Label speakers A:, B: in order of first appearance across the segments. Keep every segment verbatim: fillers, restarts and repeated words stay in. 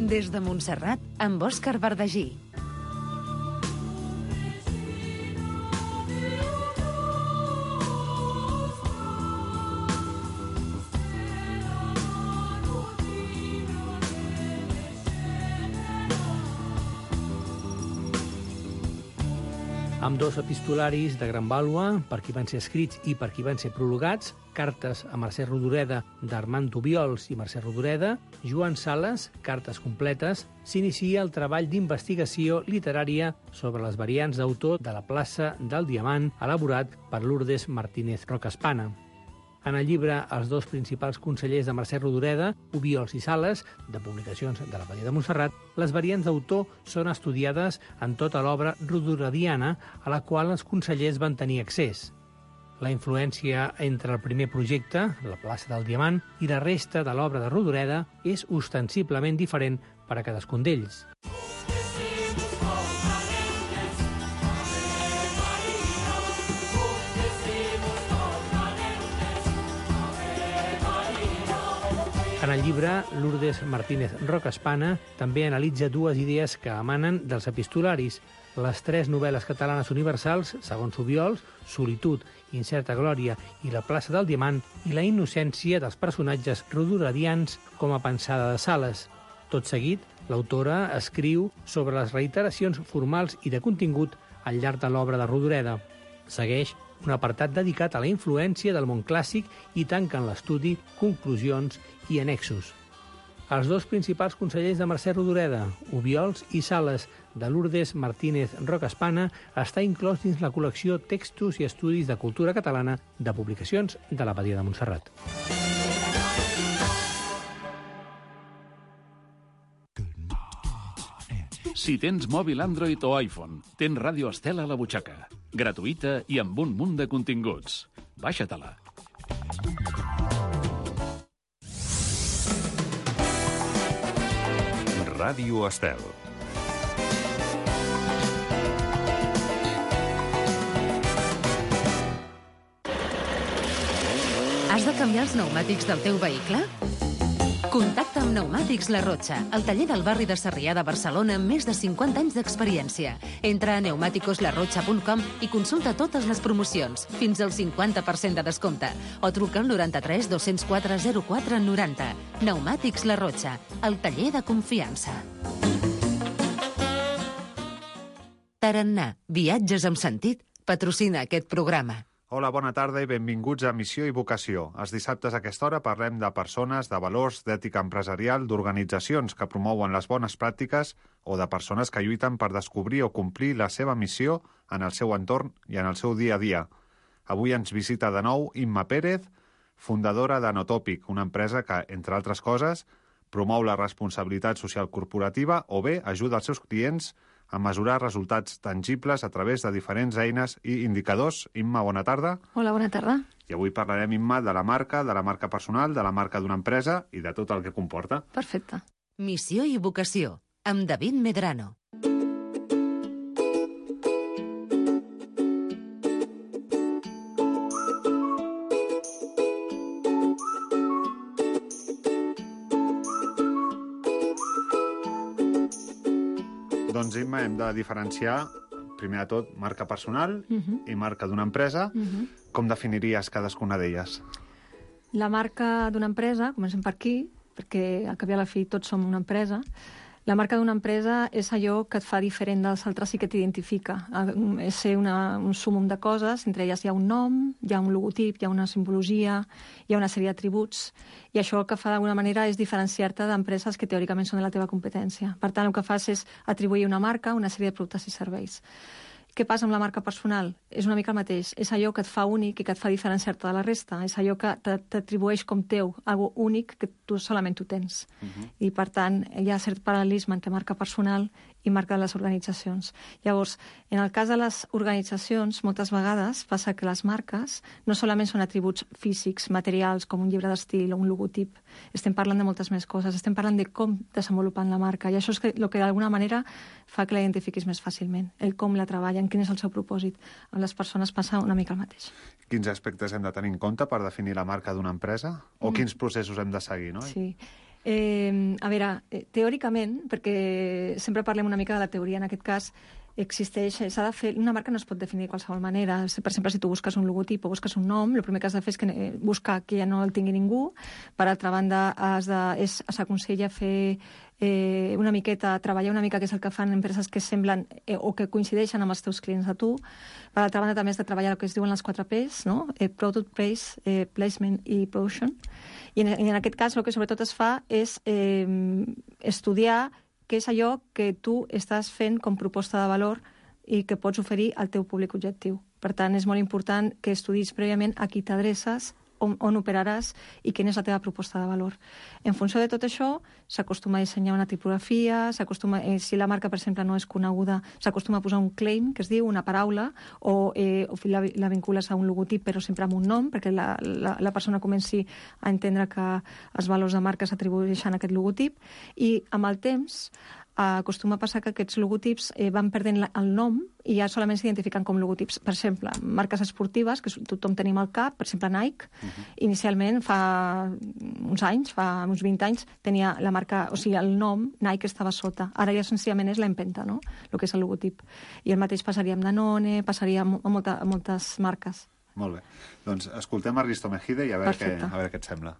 A: Des de Montserrat, amb Òscar Verdagí.
B: Amb dos epistolaris de gran vàlua, per qui van ser escrits i per qui van ser prologats, cartes a Mercè Rodoreda d'Armand Obiols i Mercè Rodoreda, Joan Sales, cartes completes, s'inicia el treball d'investigació literària sobre les variants d'autor de la plaça del Diamant, elaborat per Lourdes Martínez Rocaspana. En el llibre Els dos principals consellers de Mercè Rodoreda, Obiols i Sales, de publicacions de l'Abadia de Montserrat, les variants d'autor són estudiades en tota l'obra rodorediana a la qual els consellers van tenir accés. La influència entre el primer projecte, la plaça del Diamant, i la resta de l'obra de Rodoreda és ostensiblement diferent per a cadascun d'ells. En el llibre, Lourdes Martínez Rocaspana també analitza dues idees que emanen dels epistolaris. Les tres novel·les catalanes universals, segons Obiols, Solitud, Incerta glòria i La plaça del Diamant, i la innocència dels personatges rodoredians com a pensada de Sales. Tot seguit, l'autora escriu sobre les reiteracions formals i de contingut al llarg de l'obra de Rodoreda. Segueix un apartat dedicat a la influència del món clàssic i tanca en l'estudi conclusions i annexos. Els dos principals consellers de Mercè Rodoreda, Obiols i Sales, de Lourdes Martínez Rocaspana, està inclòs dins la col·lecció Textos i Estudis de Cultura Catalana de publicacions de l'Abadia de Montserrat.
C: Si tens mòbil Android o iPhone, tens Ràdio Estel a la butxaca. Gratuïta i amb un munt de continguts. Baixa-te-la.
D: Ràdio Estel.
A: Has de canviar els pneumàtics del teu vehicle? Contacta amb Pneumàtics La Rotxa, el taller del barri de Sarrià de Barcelona amb més de cinquanta anys d'experiència. Entra a pneumáticos la rocha punt com i consulta totes les promocions, fins al cinquanta per cent de descompte, o truca al noranta-tres dos-cents quatre zero quatre noranta. Pneumàtics La Rotxa, el taller de confiança. Tarannà, viatges amb sentit, patrocina aquest programa.
E: Hola, bona tarda i benvinguts a Missió i Vocació. Els dissabtes a aquesta hora parlem de persones, de valors, d'ètica empresarial, d'organitzacions que promouen les bones pràctiques o de persones que lluiten per descobrir o complir la seva missió en el seu entorn i en el seu dia a dia. Avui ens visita de nou Imma Pérez, fundadora d'Anotòpic, una empresa que, entre altres coses, promou la responsabilitat social corporativa o bé ajuda els seus clients a mesurar resultats tangibles a través de diferents eines i indicadors. Imma, bona tarda.
F: Hola, bona tarda.
E: I avui parlarem, Imma, de la marca, de la marca personal, de la marca d'una empresa i de tot el que comporta.
F: Perfecte.
A: Missió i vocació, amb David Medrano.
E: Doncs, Imma, hem de diferenciar, primer de tot, marca personal uh-huh. i marca d'una empresa. Uh-huh. Com definiries cadascuna d'elles?
F: La marca d'una empresa, comencem per aquí, perquè al cap i a la fi tots som una empresa. La marca d'una empresa és allò que et fa diferent dels altres i que t'identifica. És ser una, un súmum de coses, entre elles hi ha un nom, hi ha un logotip, hi ha una simbologia, hi ha una sèrie d'atributs, i això el que fa d'alguna manera és diferenciar-te d'empreses que teòricament són de la teva competència. Per tant, el que fas és atribuir una marca a una sèrie de productes i serveis. Què passa amb la marca personal? És una mica el mateix. És allò que et fa únic i que et fa diferenciar-te de la resta. És allò que t'atribueix com teu, algo únic que tu solament tu tens. Uh-huh. I, per tant, hi ha cert paral·lelisme entre marca personal i marca de les organitzacions. Llavors, en el cas de les organitzacions, moltes vegades passa que les marques no solament són atributs físics, materials, com un llibre d'estil o un logotip. Estem parlant de moltes més coses. Estem parlant de com desenvolupen la marca. I això és el que d'alguna manera fa que la identifiquis més fàcilment. El com la treballen, quin és el seu propòsit. Amb les persones passa una mica el mateix.
E: Quins aspectes hem de tenir en compte per definir la marca d'una empresa? O mm. quins processos hem de seguir, no?
F: Sí. Eh, a veure, eh, teòricament, perquè sempre parlem una mica de la teoria, en aquest cas, existeix, s'ha de fer, una marca no es pot definir de qualsevol manera. Per exemple, si tu busques un logotip o busques un nom, el primer que has de fer és que, eh, buscar que ja no el tingui ningú. Per altra banda, has de, és, s'aconsella fer eh, una miqueta, treballar una mica, que és el que fan empreses que semblen eh, o que coincideixen amb els teus clients a tu. Per altra banda, també has de treballar el que es diuen les quatre P's, no? Eh, Product, Price, eh, Placement i Promotion. I en, I en aquest cas el que sobretot es fa és eh, estudiar què és allò que tu estàs fent com proposta de valor i que pots oferir al teu públic objectiu. Per tant, és molt important que estudis prèviament a qui t'adreces, on, on operaràs i quina és la teva proposta de valor. En funció de tot això, s'acostuma a dissenyar una tipografia, s'acostuma, eh, si la marca, per exemple, no és coneguda, s'acostuma a posar un claim, que es diu, una paraula, o, eh, o la, la vincules a un logotip, però sempre amb un nom, perquè la, la, la persona comenci a entendre que els valors de marca s'atribueixen a aquest logotip, i amb el temps acostuma a passar que aquests logotips eh, van perdent la, el nom i ja solament s'identifiquen com logotips. Per exemple, marques esportives, que tothom tenim al cap, per exemple Nike, uh-huh. Inicialment, fa uns anys, fa uns vint anys, tenia la marca, o sigui, el nom Nike estava sota. Ara ja senzillament és l'empenta, no?, el que és el logotip. I el mateix passaria amb Danone, passaria a, molta, a moltes marques.
E: Molt bé. Doncs escoltem a Risto Mejide i a veure, què, a veure què et sembla.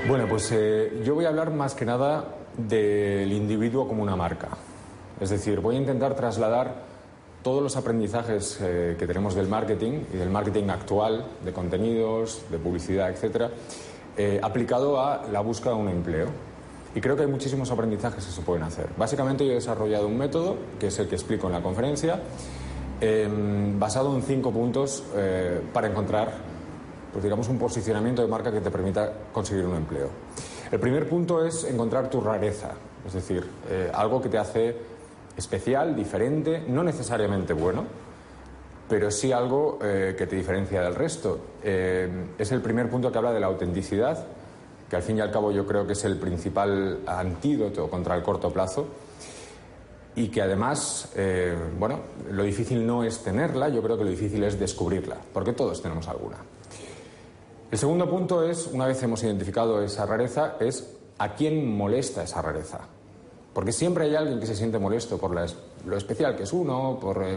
D: Bueno, pues eh, yo voy a hablar más que nada del individuo como una marca. Es decir, voy a intentar trasladar todos los aprendizajes eh, que tenemos del marketing y del marketing actual, de contenidos, de publicidad, etcétera, eh, aplicado a la búsqueda de un empleo. Y creo que hay muchísimos aprendizajes que se pueden hacer. Básicamente yo he desarrollado un método, que es el que explico en la conferencia, eh, basado en cinco puntos eh, para encontrar, pues digamos, un posicionamiento de marca que te permita conseguir un empleo. El primer punto es encontrar tu rareza, es decir, eh, algo que te hace especial, diferente, no necesariamente bueno, pero sí algo eh, que te diferencia del resto. Eh, es el primer punto que habla de la autenticidad, que al fin y al cabo yo creo que es el principal antídoto contra el corto plazo, y que además, eh, bueno, lo difícil no es tenerla, yo creo que lo difícil es descubrirla, porque todos tenemos alguna. El segundo punto es, una vez hemos identificado esa rareza, es a quién molesta esa rareza. Porque siempre hay alguien que se siente molesto por la, lo especial que es uno, por eh,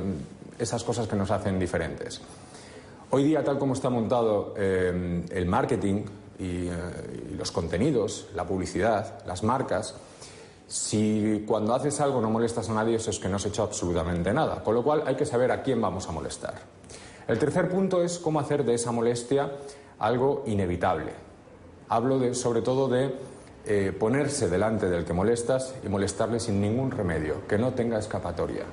D: esas cosas que nos hacen diferentes. Hoy día, tal como está montado eh, el marketing y, eh, y los contenidos, la publicidad, las marcas, si cuando haces algo no molestas a nadie, eso es que no has hecho absolutamente nada. Con lo cual hay que saber a quién vamos a molestar. El tercer punto es cómo hacer de esa molestia algo inevitable. Hablo de, sobre todo de eh, ponerse delante del que molestas y molestarle sin ningún remedio, que no tenga escapatoria.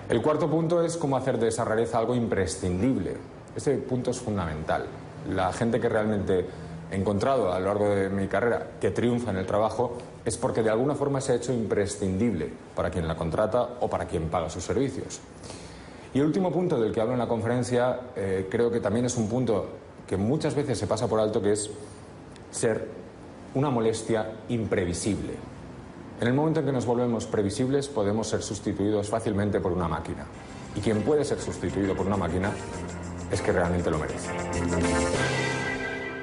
D: El cuarto punto es cómo hacer de esa rareza algo imprescindible. Este punto es fundamental. La gente que realmente he encontrado a lo largo de mi carrera que triunfa en el trabajo es porque de alguna forma se ha hecho imprescindible para quien la contrata o para quien paga sus servicios. Y el último punto del que hablo en la conferencia eh, creo que también es un punto que muchas veces se pasa por alto, que es ser una molestia imprevisible. En el momento en que nos volvemos previsibles podemos ser sustituidos fácilmente por una máquina. Y quien puede ser sustituido por una máquina es que realmente lo merece.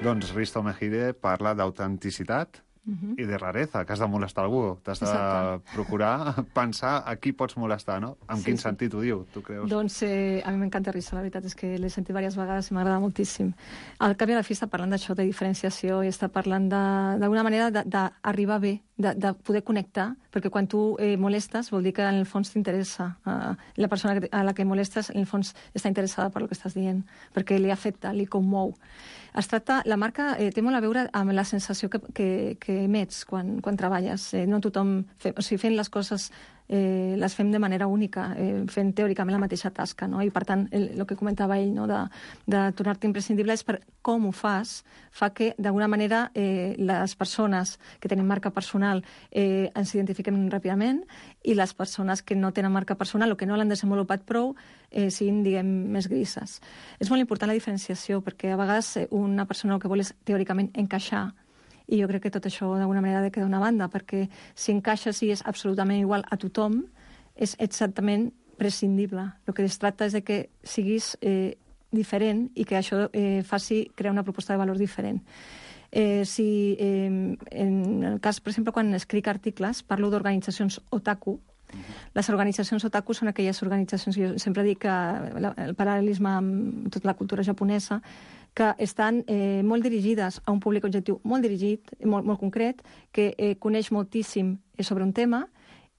E: Doncs Risto Mejide parla d'autenticitat uh-huh. i de rareza, que has de molestar algú. T'has de Exacte. procurar pensar a qui pots molestar, no? En sí, quin sí. sentit ho diu, tu creus?
F: Doncs eh, a mi m'encanta Risto, la veritat és que l'he sentit diverses vegades i m'agrada moltíssim. Al cap i a la fi està parlant d'això, de diferenciació, i està parlant d'alguna manera d'arribar bé, de, de poder connectar, perquè quan tu eh, molestes vol dir que en el fons t'interessa. Uh, la persona que, a la que molestes en el fons està interessada per el que estàs dient, perquè li afecta, li commou. Es tracta, la marca eh, té molt a veure amb la sensació que, que, que emets quan, quan treballes. Eh, no tothom, fe, o sigui, fent les coses eh, les fem de manera única, eh, fent teòricament la mateixa tasca, no? I per tant, el, el que comentava ell, no? de, de tornar-te imprescindible, és per com ho fas, fa que d'alguna manera eh, les persones que tenen marca personal eh, ens identifiquen ràpidament, i les persones que no tenen marca personal o que no l'han desenvolupat prou eh, siguin, diguem, més grises. És molt important la diferenciació, perquè a vegades eh, una persona el que vol és teòricament encaixar, i jo crec que tot això d'alguna manera ha de quedar d'una banda, perquè si encaixes i és absolutament igual a tothom, és exactament prescindible. El que es tracta és de que siguis eh, diferent i que això eh, faci crear una proposta de valor diferent. Eh, si, eh, en el cas, per exemple, quan escric articles, parlo d'organitzacions otaku. Les organitzacions otaku són aquelles organitzacions, jo sempre dic que el paral·lelisme amb tota la cultura japonesa, que estan eh, molt dirigides a un públic objectiu molt dirigit, molt, molt concret, que eh, coneix moltíssim sobre un tema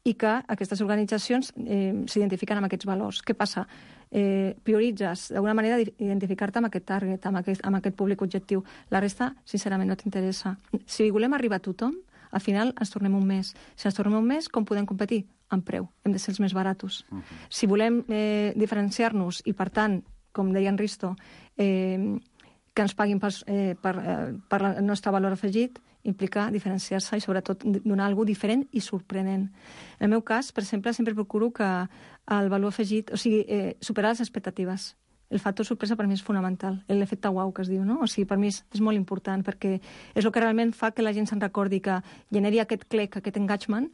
F: i que aquestes organitzacions eh, s'identifiquen amb aquests valors. Què passa? Eh, prioritzes d'alguna manera identificar-te amb aquest target, amb aquest, amb aquest públic objectiu. La resta, sincerament, no t'interessa. Si volem arribar a tothom, al final ens tornem un mes. Si ens tornem un mes, com podem competir? Amb preu. Hem de ser els més baratos. Uh -huh. Si volem eh, diferenciar-nos i, per tant, com deia en Risto, eh, que ens paguin per, eh, per, eh, per el nostre valor afegit, implica diferenciar-se i, sobretot, donar alguna cosa diferent i sorprenent. En el meu cas, per exemple, sempre procuro que el valor afegit, o sigui, eh, superar les expectatives. El factor sorpresa per mi és fonamental, l'efecte uau que es diu, no? O sigui, per mi és, és molt important, perquè és el que realment fa que la gent se'n recordi, que generi aquest click, aquest engagement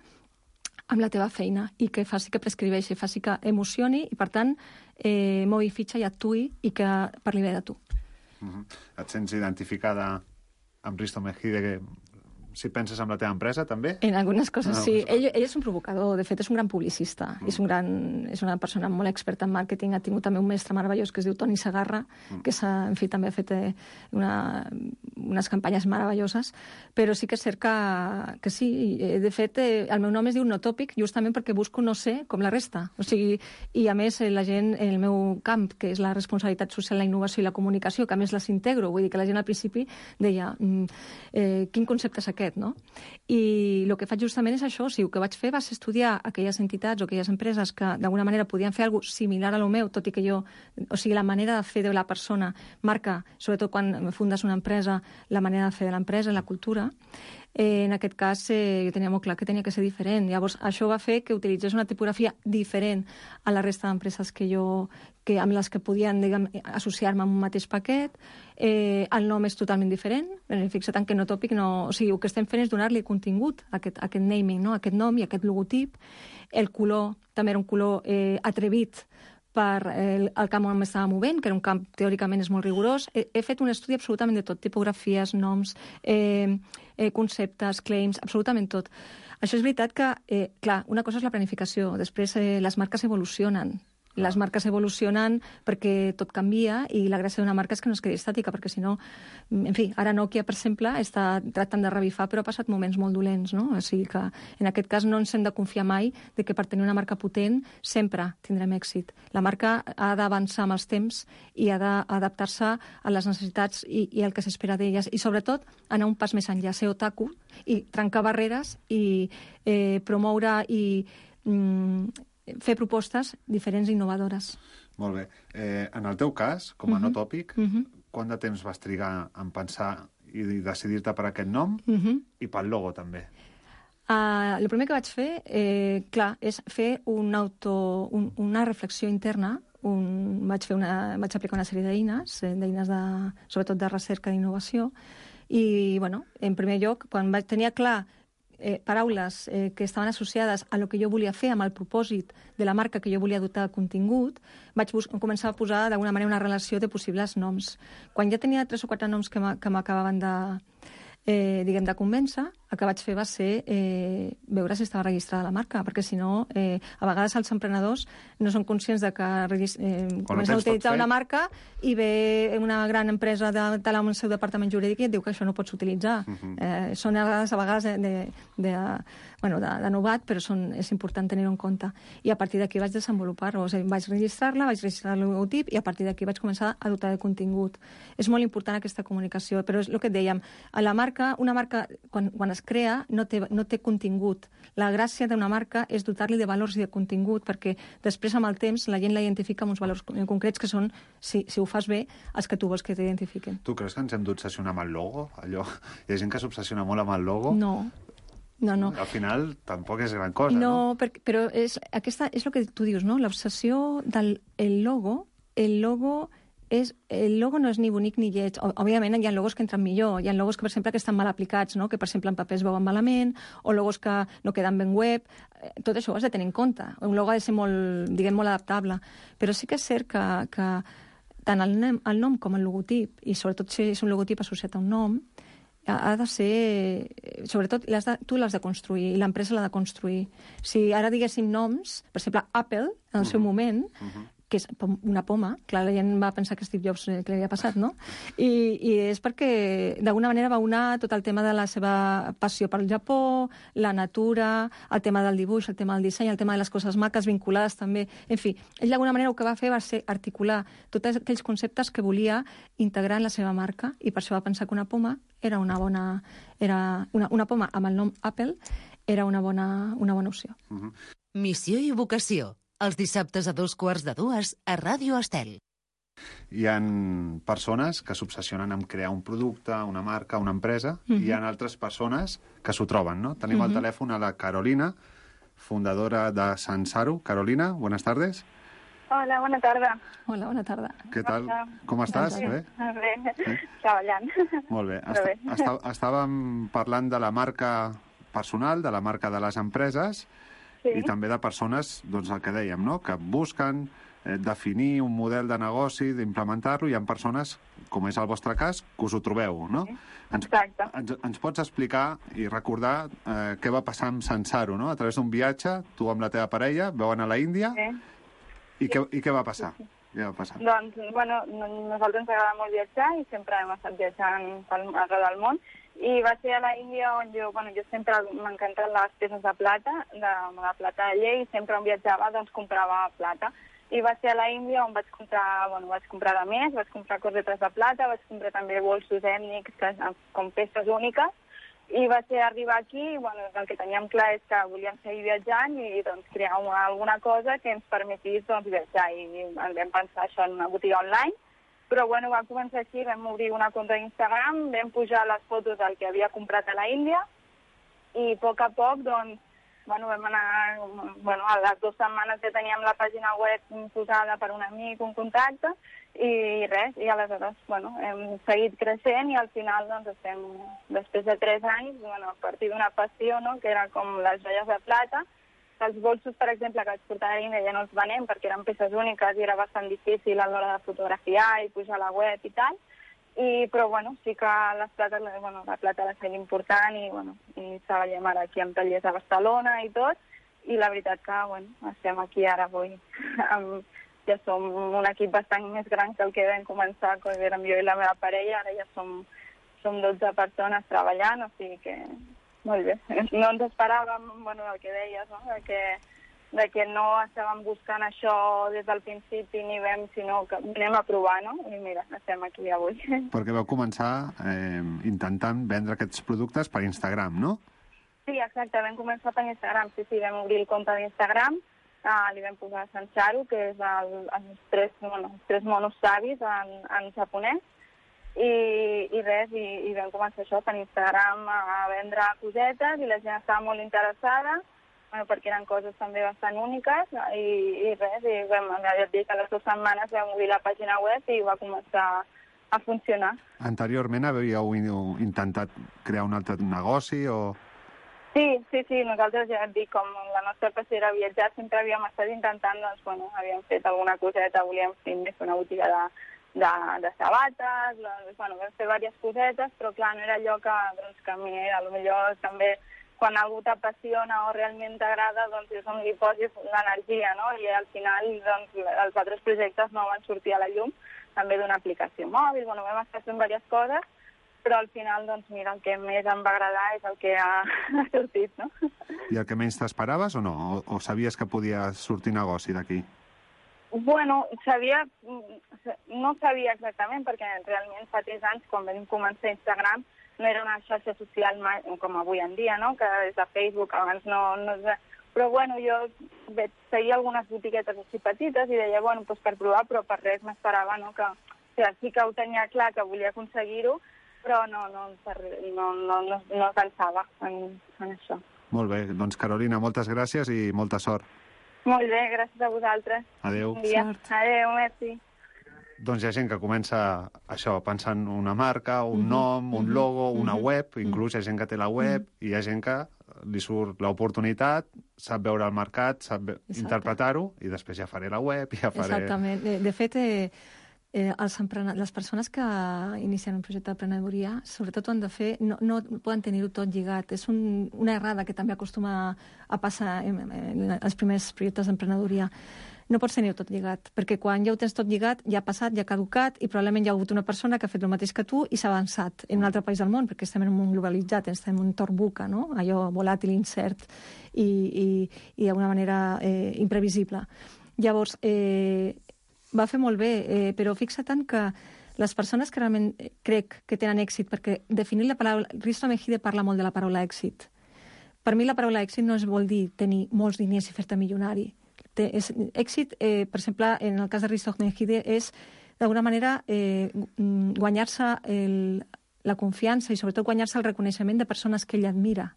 F: amb la teva feina i que faci que prescriveixi, faci que emocioni i, per tant, eh, mogui fitxa i actuï i que parli bé de tu.
E: Uh-huh. Et sents identificada amb Risto Mejide, que si penses en la teva empresa, també?
F: En algunes coses,
E: no,
F: sí.
E: no.
F: Ell, ell és un provocador, de fet és un gran publicista, mm. és, un gran, és una persona molt experta en màrqueting, ha tingut també un mestre meravellós que es diu Toni Segarra, mm. que en fi, també ha fet una, unes campanyes meravelloses, però sí que és cert que, que sí, de fet el meu nom es diu Notòpic justament perquè busco no ser com la resta, o sigui, i a més la gent, en el meu camp, que és la responsabilitat social, la innovació i la comunicació, que a més les integro, vull dir que la gent al principi deia mm, eh, quin concepte és aquest, no? I el que faig justament és això, o sigui, el que vaig fer va ser estudiar aquelles entitats o aquelles empreses que d'alguna manera podien fer alguna cosa similar a lo meu, tot i que jo, o sigui, la manera de fer de la persona marca, sobretot quan fundes una empresa, la manera de fer de l'empresa, la cultura. Eh, en aquest cas, eh, jo tenia molt clar que tenia que ser diferent. Llavors, això va fer que utilitzés una tipografia diferent a la resta d'empreses que jo, que, amb les que podien, diguem, associar-me amb un mateix paquet. Eh, el nom és totalment diferent. Fixa't en que Notòpic no... O sigui, el que estem fent és donar-li contingut a aquest, a aquest naming, no? Aquest nom i aquest logotip. El color també era un color eh, atrevit per el, el camp on m'estava movent, que era un camp teòricament és molt rigorós. He, he fet un estudi absolutament de tot, tipografies, noms, eh, eh, conceptes, claims, absolutament tot. Això és veritat que, eh, clar, una cosa és la planificació, després eh, les marques evolucionen. Les marques evolucionen perquè tot canvia i la gràcia d'una marca és que no es quedi estàtica, perquè si no, en fi, ara Nokia, per exemple, està tractant de revifar, però ha passat moments molt dolents, no? O sigui que en aquest cas no ens hem de confiar mai de que per tenir una marca potent sempre tindrem èxit. La marca ha d'avançar amb els temps i ha d'adaptar-se a les necessitats i, i el que s'espera d'elles, i sobretot anar un pas més enllà, ser otaku i trencar barreres i eh, promoure i mm, fer propostes diferents i innovadores.
E: Molt bé. Eh, en el teu cas, com a uh-huh. Notòpic, uh-huh. quant de temps vas trigar en pensar i decidir-te per aquest nom uh-huh. i pel logo, també?
F: Uh, el primer que vaig fer, eh, clar, és fer un auto, un, una reflexió interna. Un, vaig, fer una, vaig aplicar una sèrie d'eines, d'eines de, sobretot de recerca d'innovació, i, bueno, en primer lloc, quan vaig tenir clar Eh, paraules eh, que estaven associades a lo que jo volia fer, amb el propòsit de la marca que jo volia dotar de contingut, vaig començar a posar d'alguna manera una relació de possibles noms. Quan ja tenia tres o quatre noms que m'acabaven de, eh, diguem, de convèncer, el que vaig fer va ser eh, veure si estava registrada la marca, perquè si no, eh, a vegades els emprenedors no són conscients de que eh, comencen a utilitzar una marca i ve una gran empresa de tal amb el seu departament jurídic i et diu que això no pots utilitzar. Uh-huh. eh, són a vegades, a vegades de, de, de, bueno, de, de novat, però són, és important tenir-ho en compte. I a partir d'aquí vaig desenvolupar-ho. O sigui, vaig registrar-la, vaig registrar el logotip i a partir d'aquí vaig començar a dotar de contingut. És molt important aquesta comunicació, però és el que et dèiem. A la marca, una marca, quan, quan es crea, no té, no té contingut. La gràcia d'una marca és dotar-li de valors i de contingut, perquè després, amb el temps, la gent la identifica amb uns valors concrets que són, si, si ho fas bé, els que tu vols que t'identifiquen.
E: Tu creus que ens hem d'obsessionar amb el logo? Allò... Hi ha gent que s'obsessiona molt amb el logo?
F: No. No, no.
E: Al final, tampoc és gran cosa,
F: no?
E: No,
F: per, però és, aquesta, és el que tu dius, no? L'obsessió del el logo, el logo és, el logo no és ni bonic ni lleig. Òbviament hi ha logos que entren millor, hi ha logos que, per exemple, que estan mal aplicats, no? Que, per exemple, en paper es veuen malament, o logos que no queden ben web. Tot això ho has de tenir en compte. Un logo ha de ser molt, diguem, molt adaptable. Però sí que és cert que, que tant el nom, el nom com el logotip, i sobretot si és un logotip associat a un nom, ha de ser... Sobretot, l'has de, tu l'has de construir i l'empresa l'ha de construir. Si ara diguéssim noms, per exemple, Apple, en el seu moment, uh-huh. que és una poma, clar, la gent va pensar que Steve Jobs que li havia passat, no? I, i és perquè, d'alguna manera, va unar tot el tema de la seva passió pel Japó, la natura, el tema del dibuix, el tema del disseny, el tema de les coses maques vinculades també. En fi, ell d'alguna manera el que va fer va ser articular tots aquells conceptes que volia integrar en la seva marca i per això va pensar que una poma era una bona... Era una, una poma amb el nom Apple era una bona, una bona opció.
A: Uh-huh. Missió i vocació. Els dissabtes a dos quarts de dues a Ràdio Estel.
E: Hi ha persones que s'obsessionen amb crear un producte, una marca, una empresa, uh-huh. i hi ha altres persones que s'ho troben, no? Tenim uh-huh. al telèfon a la Carolina, fundadora de Sansaru. Carolina, buenas tardes.
G: Hola, bona tarda.
F: Hola, bona tarda.
E: Què tal? Com estàs?
G: Sí,
E: bé?
G: Bé, sí? Treballant.
E: Molt bé. Est
G: bé.
E: Està estàvem parlant de la marca personal, de la marca de les empreses, sí. i també de persones, doncs el que dèiem, no? Que busquen eh, definir un model de negoci, d'implementar-lo, i hi ha persones, com és el vostre cas, que us ho trobeu, no?
G: Sí.
E: Ens,
G: Exacte.
E: ens, ens pots explicar i recordar eh, què va passar amb Sansaru, no? A través d'un viatge, tu amb la teva parella, veu anar a la Índia, sí. i, què, i què va passar? Sí, sí. Què va passar?
G: Doncs, bueno, nosaltres ens agrada molt viatjar i sempre hem estat viatjant pel, arreu del món. I va ser a la Índia on jo, bueno, jo sempre m'encanten les peces de plata, de, de plata de llei, i sempre on viatjava doncs comprava plata. I va ser a la Índia on vaig comprar, bueno, vaig comprar de més, vaig comprar cosetes de plata, vaig comprar també bolsos ètnics que, com peces úniques, i va ser arribar aquí, bueno, el que teníem clar és que volíem seguir viatjant i doncs crear una, alguna cosa que ens permetís doncs, viatjar, i vam pensar això en una botiga online. Però bueno, va començar així, vam obrir una compte d'Instagram, vam pujar les fotos del que havia comprat a la Índia i a poc a poc, doncs, bueno, vam anar, bueno, a les dues setmanes que teníem la pàgina web posada per un amic, un contacte, i res, i aleshores, bueno, hem seguit creixent i al final, doncs, estem, després de tres anys, bueno, a partir d'una passió, no?, que era com les joies de plata. Els bolsos, per exemple, que vaig portar a l'Índia ja no els venem perquè eren peces úniques i era bastant difícil a l'hora de fotografiar i pujar a la web i tal. I, però, bueno, sí que les plates, bueno, la plata la feia important i, bueno, i treballem ara aquí amb tallers a Barcelona i tot. I la veritat que, bueno, estem aquí ara avui. Amb, ja som un equip bastant més gran que el que vam començar quan érem jo i la meva parella. Ara ja som, som dotze persones treballant, o sigui que... Molt bé. No ens esperàvem, bueno, el que deies, no?, de que, de que no estàvem buscant això des del principi ni vam, sinó que anem a provar, no? I mira, estem aquí avui.
E: Perquè vau començar eh, intentant vendre aquests productes per Instagram, no?
G: Sí, exacte, vam començar per Instagram, sí, sí, vam obrir el compte d'Instagram, uh, li vam posar Sansaru, que és el, els, tres, bueno, els tres monos savis en, en japonès, I, i res, i, i vam començar això per Instagram a vendre cosetes i la gent estava molt interessada, bueno, perquè eren coses també bastant úniques, i, i res, i vam, ja et dic, a les dues setmanes vam obrir la pàgina web i va començar a funcionar.
E: Anteriorment havíeu intentat crear un altre negoci o...?
G: Sí, sí, sí, nosaltres ja et dic, com la nostra passió era viatjar, sempre havíem estat intentant, doncs, bueno, havíem fet alguna coseta, volíem fer una botiga de de, de sabates, doncs, bueno, vam fer diverses cosetes, però clar, no era allò que, doncs, que a mi, potser també quan algú t'apassiona o realment t'agrada, doncs és on li posis l'energia, no? I al final, doncs, els altres projectes no van sortir a la llum, també d'una aplicació mòbil, bueno, vam estar fent diverses coses, però al final, doncs, mira, el que més em va agradar és el que ha, ha sortit, no?
E: I el que menys t'esperaves o no? O, o sabies que podia sortir negoci d'aquí?
G: Bueno, sabia, no sabia exactament, perquè realment fa tres anys, quan vam començar Instagram, no era una xarxa social com avui en dia, no?, que és de Facebook, abans no... no però, bueno, jo feia algunes botiguetes així petites i deia, bueno, doncs per provar, però per res m'esperava, no?, que... O sigui, sí que ho tenia clar, que volia aconseguir-ho, però no, no, no, no, no, no pensava en, en això.
E: Molt bé, doncs Carolina, moltes gràcies i molta sort.
G: Molt bé, gràcies a vosaltres.
E: Adéu.
G: Bon dia. Adéu, merci.
E: doncs hi ha gent que comença això, pensant una marca, un nom, un logo, una web, inclús hi ha gent que té la web i hi ha gent que li surt l'oportunitat, sap veure el mercat, sap interpretar-ho i després ja faré la web, ja faré...
F: Exactament. De, de fet, eh, eh, els empren... les persones que inicien un projecte d'emprenedoria, sobretot ho han de fer, no, no poden tenir-ho tot lligat. És un, una errada que també acostuma a passar en, en els primers projectes d'emprenedoria. No pots tenir-ho tot lligat, perquè quan ja ho tens tot lligat, ja ha passat, ja ha caducat, i probablement hi ha hagut una persona que ha fet el mateix que tu i s'ha avançat en un altre país del món, perquè estem en un món globalitzat, estem en un entorn buca, no? Allò volàtil, incert i, i, i d'alguna manera eh, imprevisible. Llavors, eh, va fer molt bé, eh, però fixa tant que les persones que realment crec que tenen èxit, perquè definir la paraula... Risto Mejide parla molt de la paraula èxit. Per mi la paraula èxit no es vol dir tenir molts diners i fer-te milionari. Té, és, èxit, eh, per exemple, en el cas de Risto Mejide, és d'alguna manera eh, guanyar-se la confiança i sobretot guanyar-se el reconeixement de persones que ell admira.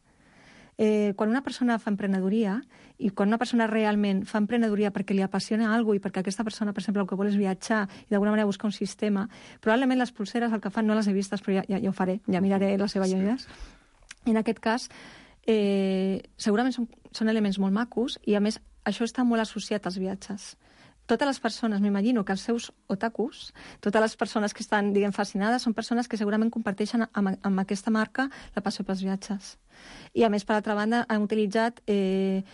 F: Eh, quan una persona fa emprenedoria i quan una persona realment fa emprenedoria perquè li apassiona alguna cosa i perquè aquesta persona, per exemple, el que vol és viatjar i d'alguna manera buscar un sistema, probablement les pulseres el que fan no les he vistes, però ja, ja, ja ho faré, ja miraré les seves joies. En aquest cas, eh, segurament són, són elements molt macos i, a més, això està molt associat als viatges. Totes les persones, m'imagino que els seus otakus, totes les persones que estan, diguem, fascinades, són persones que segurament comparteixen amb, amb aquesta marca la passió pels viatges. I, a més, per altra banda, han utilitzat eh,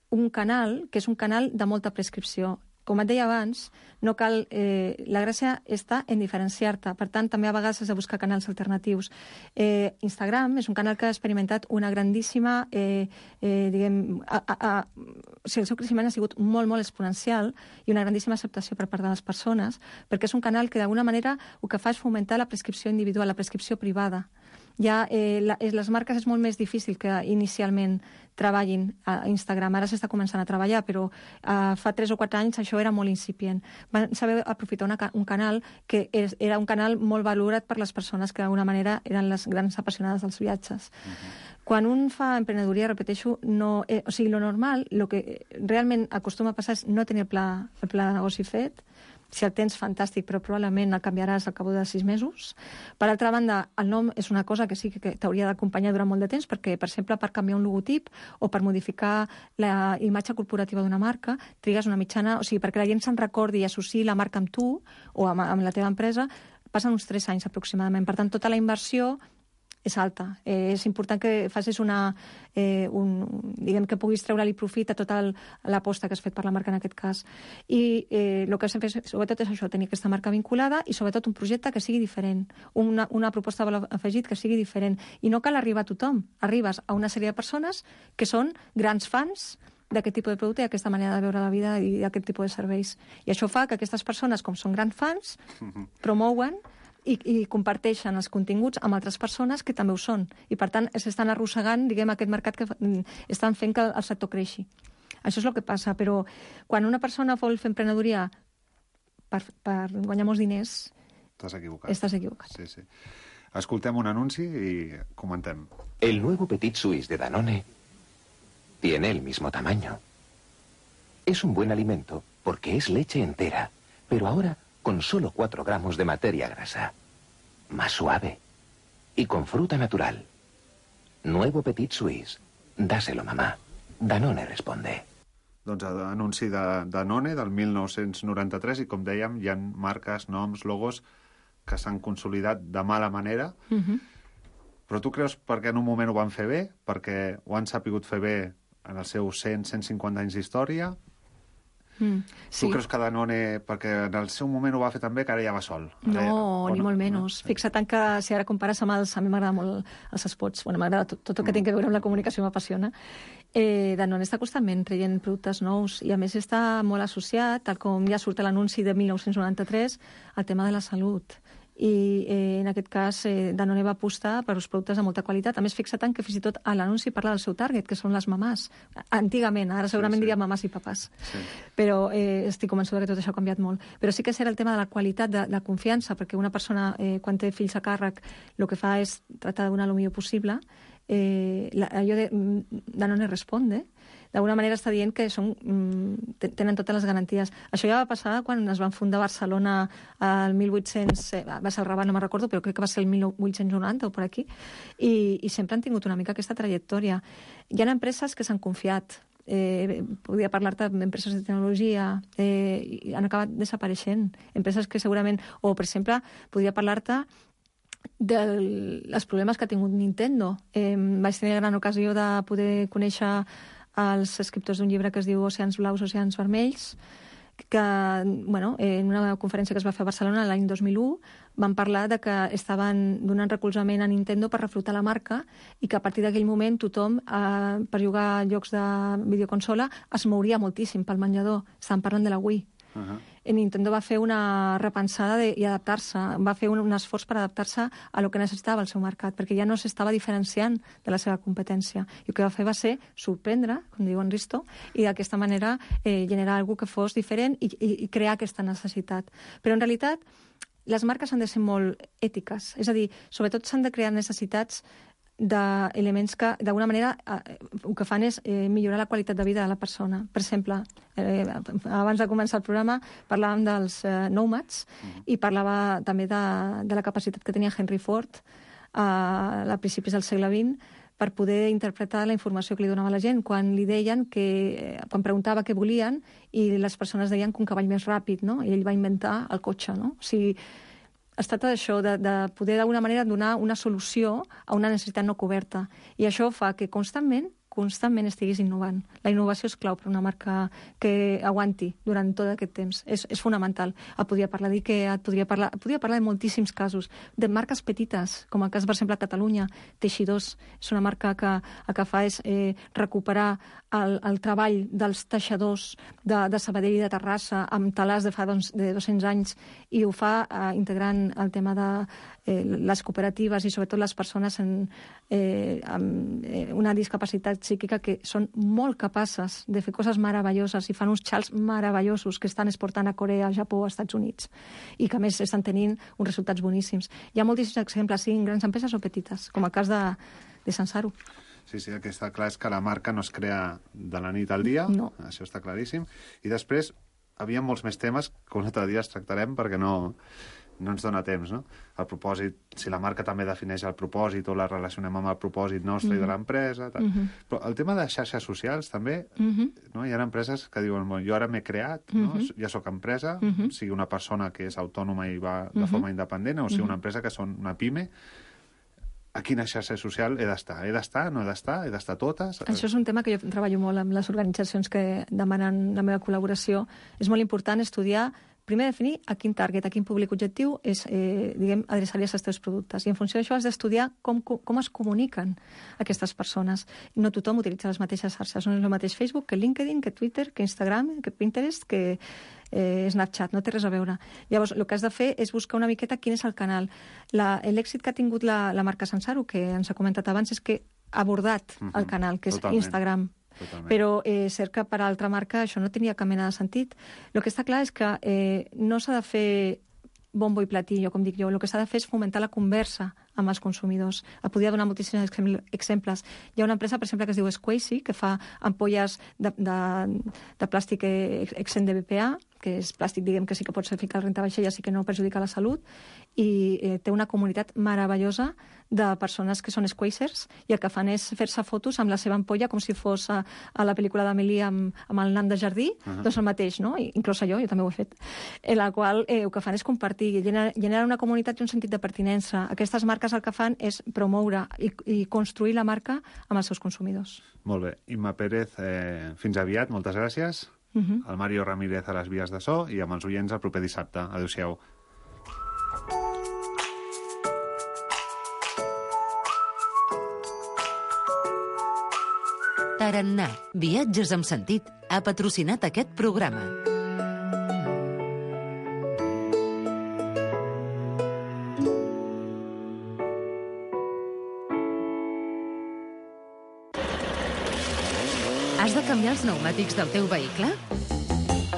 F: un canal, que és un canal de molta prescripció. Com et deia abans, no cal... Eh, la gràcia està en diferenciar-te. Per tant, també a vegades has de buscar canals alternatius. Eh, Instagram és un canal que ha experimentat una grandíssima... Eh, eh, diguem... A, a, a, o sigui, el seu creixement ha sigut molt, molt exponencial i una grandíssima acceptació per part de les persones, perquè és un canal que, d'alguna manera, el que fa és fomentar la prescripció individual, la prescripció privada. Ja eh, la, les marques és molt més difícil que inicialment treballin a Instagram. Ara s'està començant a treballar, però eh, fa tres o quatre anys això era molt incipient. Van saber aprofitar una, un canal que és, era un canal molt valorat per les persones que d'alguna manera eren les grans apassionades dels viatges. Uh-huh. Quan un fa emprenedoria, repeteixo, no, eh, o sigui, lo normal, el que realment acostuma a passar és no tenir el pla, el pla de negoci fet. Si el tens, fantàstic, però probablement el canviaràs al cap de sis mesos. Per altra banda, el nom és una cosa que sí que t'hauria d'acompanyar durant molt de temps, perquè, per exemple, per canviar un logotip o per modificar la imatge corporativa d'una marca, trigues una mitjana... O sigui, perquè la gent se'n recordi i associï la marca amb tu o amb, amb la teva empresa, passen uns tres anys aproximadament. Per tant, tota la inversió és alta. Eh, és important que facis una... Eh, un, diguem que puguis treure-li profit a tota l'aposta que has fet per la marca en aquest cas. I eh, el que has de fer, sobretot, és això, tenir aquesta marca vinculada i, sobretot, un projecte que sigui diferent. Una, una proposta de valor afegit que sigui diferent. I no cal arribar a tothom. Arribes a una sèrie de persones que són grans fans d'aquest tipus de producte i aquesta manera de veure la vida i d'aquest tipus de serveis. I això fa que aquestes persones, com són grans fans, promouen I, i comparteixen els continguts amb altres persones que també ho són. I, per tant, s'estan arrossegant, diguem, aquest mercat que estan fent que el sector creixi. Això és el que passa, però quan una persona vol fer emprenedoria per, per guanyar molts diners...
E: Estàs equivocat.
F: Estàs equivocat.
E: Sí, sí. Escoltem un anunci i comentem.
H: El nuevo Petit Suisse de Danone tiene el mismo tamaño. Es un buen alimento porque es leche entera, pero ahora con solo cuatro gramos de materia grasa. Más suave. Y con fruta natural. Nuevo Petit Suisse. Dáselo, mamá. Danone responde.
E: Doncs anunci de Danone del mil nou-cents noranta-tres i, com dèiem, hi ha marques, noms, logos que s'han consolidat de mala manera. Uh-huh. Però tu creus perquè en un moment ho van fer bé? Perquè ho han sapigut fer bé en els seus cent a cent cinquanta anys d'història? Mm, sí. Tu creus que Danone, perquè en el seu moment ho va fer també, que ara ja va sol?
F: No, ara, ni no? molt menys. No? Fixa tant que si ara compares amb els... A mi m'agrada molt els spots. Bueno, m'agrada tot, tot el que mm. té a veure amb la comunicació, m'apassiona. Eh, Danone està constantment traient productes nous i, a més, està molt associat, tal com ja surt a l'anunci de mil nou-cents noranta-tres, al tema de la salut. I eh, en aquest cas eh, Danone va apostar per uns productes de molta qualitat. A més, fixa tant que fins i tot a l'anunci parla del seu target, que són les mamàs. Antigament, ara segurament sí, sí. diria mamàs i papàs. Sí. Però eh, estic convençuda que tot això ha canviat molt. Però sí que serà el tema de la qualitat, de la confiança, perquè una persona, eh, quan té fills a càrrec, el que fa és tratar de donar el millor possible. eh, la, allò de Danone Responde, d'alguna manera està dient que són, tenen totes les garanties. Això ja va passar quan es van fundar Barcelona al mil vuit-cents, va ser el Rabat, no me'n recordo, però crec que va ser el mil vuit-cents noranta o per aquí, i, i sempre han tingut una mica aquesta trajectòria. Hi ha empreses que s'han confiat, eh, podria parlar-te d'empreses de tecnologia, eh, i han acabat desapareixent. Empreses que segurament, o per exemple, podria parlar-te dels problemes que ha tingut Nintendo. Eh, vaig tenir la gran ocasió de poder conèixer els escriptors d'un llibre que es diu Oceans Blaus, Oceans Vermells, que, bueno, en una conferència que es va fer a Barcelona l'any dos mil u van parlar de que estaven donant recolzament a Nintendo per reflotar la marca i que a partir d'aquell moment tothom, eh, per jugar a jocs de videoconsola, es mouria moltíssim pel menjador. Estaven parlant de la Wii. Uh-huh. Nintendo va fer una repensada de, i adaptar-se, va fer un, un esforç per adaptar-se a lo que necessitava el seu mercat, perquè ja no s'estava diferenciant de la seva competència. I el que va fer va ser sorprendre, com diu en Risto, i d'aquesta manera eh, generar alguna que fos diferent i, i, i crear aquesta necessitat. Però en realitat les marques han de ser molt ètiques, és a dir, sobretot s'han de crear necessitats d'elements que, d'alguna manera, eh, el que fan és eh, millorar la qualitat de vida de la persona. Per exemple, eh, abans de començar el programa parlàvem dels eh, Nomads mm-hmm. i parlava també de, de la capacitat que tenia Henry Ford eh, a principis del segle vint per poder interpretar la informació que li donava la gent, quan li deien que, eh, quan preguntava què volien i les persones deien que un cavall més ràpid, no? I ell va inventar el cotxe, no? O sigui, es tracta d'això, de, de poder d'alguna manera donar una solució a una necessitat no coberta. I això fa que constantment, constantment estiguis innovant. La innovació és clau per una marca que aguanti durant tot aquest temps. És, és fonamental. Et podria parlar d'IKEA, et podria parlar, podria parlar de moltíssims casos, de marques petites, com el cas, per exemple, a Catalunya. Teixidors és una marca que el que fa és eh, recuperar el, el treball dels teixidors de, de Sabadell i de Terrassa amb talars de fa doncs, de dos-cents anys i ho fa eh, integrant el tema de eh, les cooperatives i sobretot les persones en, eh, amb eh, una discapacitat psíquica que són molt capaces de fer coses meravelloses i fan uns xals meravellosos que estan exportant a Corea, a Japó, als Estats Units i que a més estan tenint uns resultats boníssims. Hi ha moltíssims exemples, siguin grans empreses o petites, com el cas de, de Sansaru.
E: Sí, sí, el que està clar és que la marca no es crea de la nit al dia, no. Això està claríssim. I després, havia molts més temes que un altre dia els tractarem perquè no... no ens dona temps, no? El propòsit, si la marca també defineix el propòsit o la relacionem amb el propòsit nostre mm-hmm. i de l'empresa, tal. Mm-hmm. Però el tema de xarxes socials també, mm-hmm. no? Hi ha empreses que diuen, bon, jo ara m'he creat, no? Mm-hmm. Ja sóc empresa, mm-hmm. sigui una persona que és autònoma i va de mm-hmm. forma independent, o sigui una empresa que són una pime, a quina xarxa social he d'estar? He d'estar? No he d'estar? He d'estar totes?
F: Això és un tema que jo treballo molt amb les organitzacions que demanen la meva col·laboració. És molt important estudiar, primer definir a quin target, a quin públic objectiu és, eh, diguem, adreçar-li els teus productes. I en funció d'això has d'estudiar com, com es comuniquen aquestes persones. No tothom utilitza les mateixes xarxes. No és el mateix Facebook que LinkedIn, que Twitter, que Instagram, que Pinterest, que eh, Snapchat. No té res a veure. Llavors, el que has de fer és buscar una miqueta quin és el canal. L'èxit que ha tingut la, la marca Sansaru, que ens ha comentat abans, és que ha abordat uh-huh. el canal, que és Totalment. Instagram. Totalment. Però és eh, cert que per a altra marca això no tenia cap mena de sentit. El que està clar és que eh, no s'ha de fer bombo i platillo, com dic jo. El que s'ha de fer és fomentar la conversa amb els consumidors. Et podria donar moltíssims exemples. Hi ha una empresa, per exemple, que es diu Squeezy, que fa ampolles de, de, de plàstic exempt de B P A, que és plàstic, diguem, que sí que pots ficar al rentabaixella, sí que no perjudica la salut, i eh, té una comunitat meravellosa de persones que són squeezers i el que fan és fer-se fotos amb la seva ampolla com si fos a, a la pel·lícula d'Amélie amb, amb el nan de jardí, uh-huh. doncs el mateix, no? I, inclús jo, jo també ho he fet. En la qual eh, el que fan és compartir, generar, generar una comunitat i un sentit de pertinença. Aquestes marques el que fan és promoure i, i construir la marca amb els seus consumidors.
E: Molt bé. Imma Pérez, eh, fins aviat, moltes gràcies. Uh-huh. El Mario Ramírez a les vies de so i amb els oients el proper dissabte. Adéu-siau.
A: Tarannà, viatges amb sentit, ha patrocinat aquest programa. Has de canviar els pneumàtics del teu vehicle?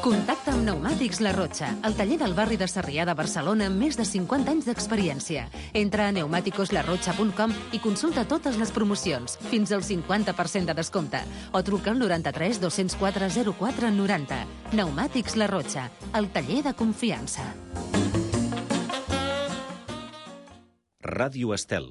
A: Contacta amb Pneumàtics La Rotxa, el taller del barri de Sarrià de Barcelona amb més de cinquanta anys d'experiència. Entra a pneumáticos la rocha punt com i consulta totes les promocions, fins al cinquanta per cent de descompte. O truca al noranta-tres dos-cents quatre zero quatre noranta. Pneumàtics La Rotxa, el taller de confiança.
I: Ràdio Estel.